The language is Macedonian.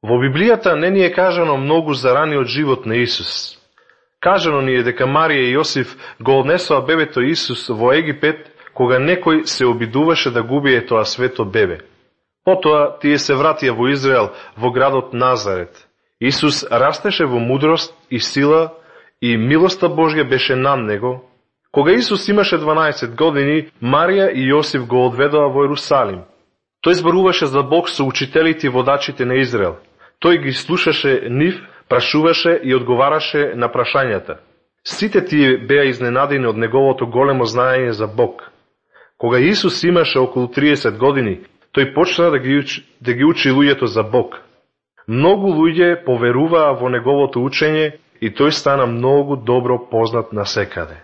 Во Библијата не ни е кажано многу за раниот живот на Исус. Кажано ни е дека Марија и Јосиф го однесоа бебето Исус во Египет, кога некој се обидуваше да го убие тоа свето бебе. Потоа тие се вратија во Израел, во градот Назарет. Исус растеше во мудрост и сила и милоста Божја беше над него. Кога Исус имаше 12 години, Марија и Јосиф го одведоа во Ерусалим. Тој зборуваше за Бог со учителите и водачите на Израел. Тој ги слушаше нив, прашуваше и одговараше на прашањата. Сите тие беа изненадени од неговото големо знаење за Бог. Кога Исус имаше околу 30 години, тој почна да ги учи луѓето за Бог. Многу луѓе поверуваа во неговото учење и тој стана многу добро познат насекаде.